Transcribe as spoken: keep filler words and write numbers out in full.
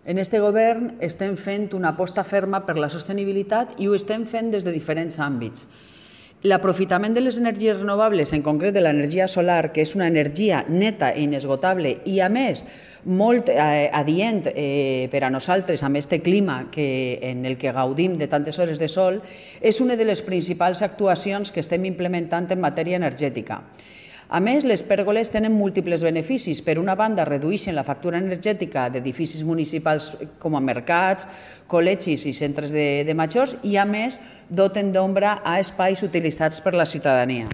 En aquest govern estem fent una aposta ferma per la sostenibilitat i ho estem fent des de diferents àmbits. L'aprofitament de les energies renovables, en concret de l'energia solar, que és una energia neta i inesgotable i, a més, molt eh, adient eh, per a nosaltres amb aquest clima que, en el que gaudim de tantes hores de sol, és una de les principals actuacions que estem implementant en matèria energètica. A més, les pèrgoles tenen múltiples beneficis. Per una banda, redueixen la factura energètica d'edificis municipals com a mercats, col·legis i centres de, de majors i, a més, doten d'ombra a espais utilitzats per la ciutadania.